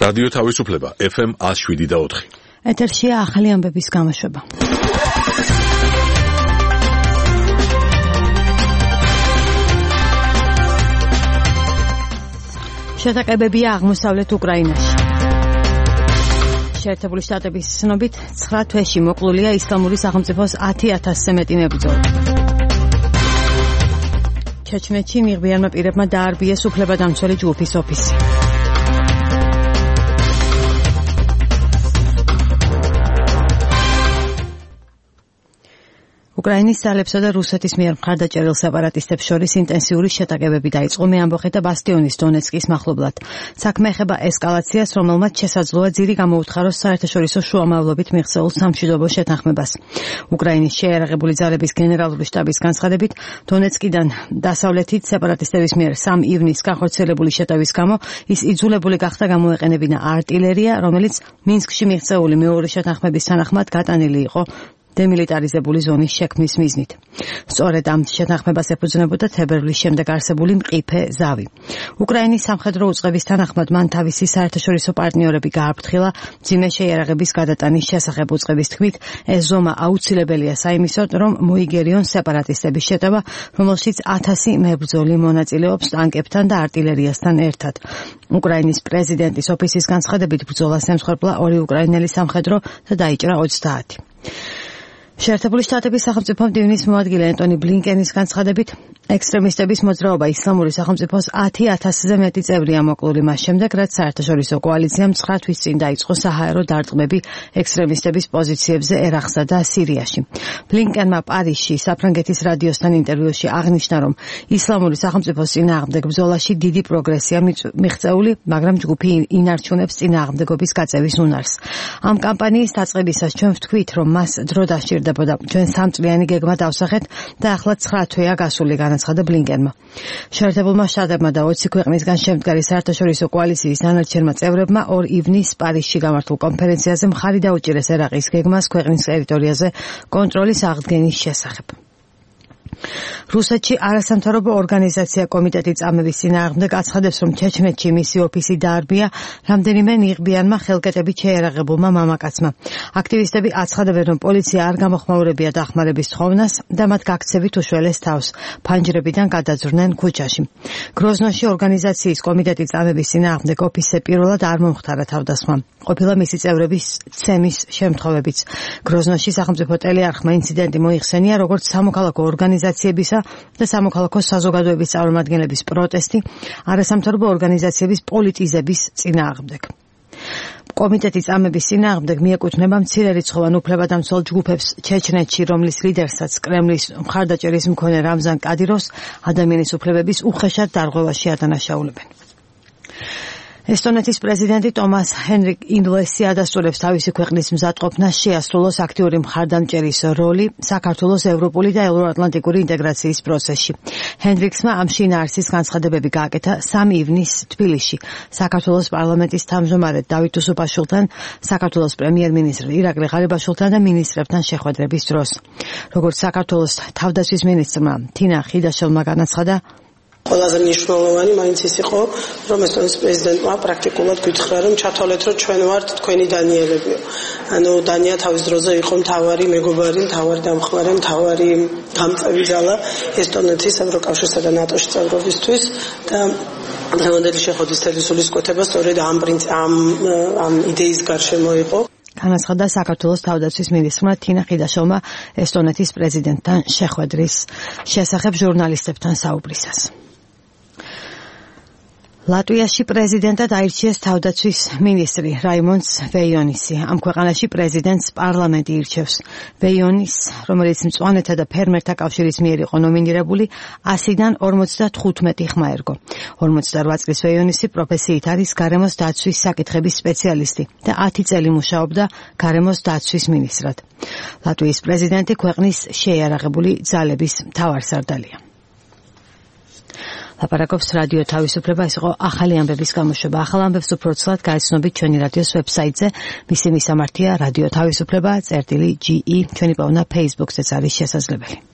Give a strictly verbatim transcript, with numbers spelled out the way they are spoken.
რადიო თავისუფლება ეფ ემ one oh seven და four. ეთერშია ახალი ამბების გამოშვება. შეტაკებებია აღმოსავლეთ უკრაინაში. შეერთებული შტატების ცნობით ცხრა თვეში მოკლულია ისლამური სახელმწიფოს ათი ათასზე მეტი მებრძოლი. ჩეჩნეთში მიღბიანმა პირებმა დაარბიეს უფლებადამცველი ჯგუფის ოფისი. უკრაინის ძალებსა და რუსეთის მიერ მხარდაჭერილ სეპარატისტებს შორის ინტენსიური შეტაკებები დაიწყო მეამბოხე და ბასტიონის დონეცკის მახლობლად. საქმე ეხება ესკალაციას, რომელმაც შესაძლოა ძირი გამოუთხაროს საერთაშორისო შუამავლობით მიღწეულ სამშვიდობო შეთანხმებას. უკრაინის შეიარაღებული ძალების გენერალური შტაბის განცხადებით, დონეცკიდან დასავლეთით სეპარატისტების მიერ სამი ივნისს განხორციელებული შეტევის გამო ის იძულებული გახდა გამოეყენებინა არტილერია, რომელიც მინსკში მიღწეული მეორე შეთანხმების თანახმად გატანილი იყო დემილიტარიზებული ზონის შექმნის მიზნით. სწორედ ამ შეთანხმებას ეფუძნებოდა თებერვლის შემდეგ არსებული მყიფე ზავი. უკრაინის სამხედრო უწყების თანახმად მან თავისი საერთაშორისო პარტნიორები გააფრთხილა მძიმე შეიარაღების გადატანის შესახებ უწყების თქმით, ეს ზომა აუცილებელია საიმისოდ, რომ მოიგერიონ სეპარატისტების შეტევა, რომელშიც ათასი მებრძოლი მონაწილეობს ტანკებთან და არტილერიასთან ერთად. უკრაინის პრეზიდენტის ოფისის განცხადებით ბრძოლას ემსხვერპლა ორი უკრაინელი სამხედრო და დაიჭრა ოცდაათი. შეერთებული შტატების სახელმწიფო მდივნის მოადგილე ენტონი ბლინკენის განცხადებით, ექსტრემისტების მოძრაობა ისლამური სახელმწიფოს ათი ათასზე მეტი წევრია მოკლული მას შემდეგ, რაც საერთაშორისო კოალიციამ ცხრა თვის წინ დაიწყო საჰაერო დარტყმები ექსტრემისტების პოზიციებზე ერაყსა და სირიაში. ბლინკენმა პარიზში საფრანგეთის რადიოსთან ინტერვიუში აღნიშნა, რომ ისლამური სახელმწიფოს წინააღმდეგ ბრძოლაში დიდი პროგრესია მიღწეული, მაგრამ ჯგუფი ინარჩუნებს წინააღმდეგობის გაწევის უნარს. ამ კამპანიის დაწყებისას ჩვენ ვთქვით, რომ მას დრო დასჭირდა ჩვენ სამწლიანი გეგმა დავსახეთ და ახლა ცხრა თვეა გასული, განაცხადა ბლინკენმა. შეერთებულმა შტატებმა და ოცი ქვეყნისგან შემდგარი საერთაშორისო კოალიციის დანარჩენმა წევრებმა ორ ივნისს პარიზში გამართულ კონფერენციაზე მხარი დაუჭირეს ერაყის გეგმას ქვეყნის ტერიტორიაზე კონტროლის აღდგენის შესახებ. რუსეთში არასამთავრობო ორგანიზაცია კომიტეტი წამების წინააღმდეგ აცხადებს, რომ ჩეჩნეთში მისი ოფისი დაარბია რამდენიმე ნიღბიანმა ხელკეტებით შეიარაღებულმა მამაკაცმა. აქტივისტები აცხადებენ, რომ პოლიცია არ გამოხმაურებია დახმარების თხოვნას და მათ გაქცევით უშველეს თავს. ფანჯრებიდან გადაძვრნენ ქუჩაში. გროზნოში ორგანიზაციის კომიტეტი წამების წინააღმდეგ ოფისზე პირველად არ მომხდარა თავდასხმა. ყოფილა მისი წევრების ცემის შემთხვევებიც. გროზნოში სახელმწიფო ტელეარხმა ინციდენტი მოიხსენია, როგორც სამოქალაქო ორგანიზაციებისა და სამოქალაქო საზოგადოების წარმომადგენლების პროტესტი არასამთავრობო ორგანიზაციების პოლიტიზების წინააღმდეგ. კომიტეტი წამების წინააღმდეგ მიეკუთვნება მცირერიცხოვან უფლებადამცველ ჯგუფებს ჩეჩნეთში, რომლის ლიდერსაც კრემლის მხარდაჭერის მქონე რამზან კადიროვს ადამიანის უფლებების უხეშად დარღვევაში ადანაშაულებენ. ესტონეთის პრეზიდენტი ტომას ჰენრიკ ინდლესი ადასტურებს თავისი ქვეყნის მზადყოფნას შეასრულოს აქტიური მხარდამჭერის როლი საქართველოს ევროპული და ევროატლანტიკური ინტეგრაციის პროცესში. ჰენრიქსმა ამ შინაარსის განცხადებები გააკეთა სამი ივნისს თბილისში საქართველოს პარლამენტის თავმჯდომარე დავით უსუპაშვილთან, საქართველოს პრემიერ-მინისტრ ირაკლი ღარიბაშვილთან და მინისტრებთან შეხვედრების დროს. როგორც საქართველოს თავდაცვის მინისტრმა თინა ხიდაშელმა განაცხადა, ყველაზე მნიშვნელოვანი მაინც ის იყო, რომ ესტონეთის პრეზიდენტმა პრაქტიკულად გითხრა, რომ ჩათვალეთ, რომ ჩვენ ვართ თქვენი დანიელებიო. ანუ დანია თავის დროზე იყო მთავარი მეგობარი, მთავარი დამხმარე, მთავარი გამწევი ძალა ესტონეთის ევროკავშირსა და ნატოში წევრობისთვის და დღევანდელი შეხვედრის თელესულის კვეთება სწორედ ამ ამ ამ იდეის გარშემო იყო. განაცხადა საქართველოს თავდაცვის მინისტრმა თინა ხიდაშელმა ესტონეთის პრეზიდენტთან შეხვედრის შესახებ ჟურნალისტებთან საუბრისას. ლატვიაში პრეზიდენტად აირჩიეს თავდაცვის მინისტრი რაიმონდ ვეიონისი. ამ ქვეყანაში პრეზიდენტს პარლამენტი ირჩევს. ვეიონის, რომელიც მწვანეთა და ფერმერთა კავშირის მიერ იყო ნომინირებული, ასიდან ორმოცდათხუთმეტი ხმა ერგო. ორმოცდარვა წლის ვეიონისი პროფესიით არის გარემოს დაცვის საკითხების სპეციალისტი და ათი წელი მუშაობდა გარემოს დაცვის მინისტრად. ლატვიის პრეზიდენტი ქვეყნის შეიარაღებული ძალების მთავარსარდალია. ლაპარაკობს რადიო თავისუფლება, ეს იყო ახალი ამბების გამოშვება. ახალ ამბებს უფრო ცვლად გაიცნობით ჩვენი რადიოს ვებსაიტზე. მისი მისამართია რადიო თავისუფლება წერტილი ჯი ი. ჩვენი პოვნა Facebook-ზეც არის შესაძლებელი.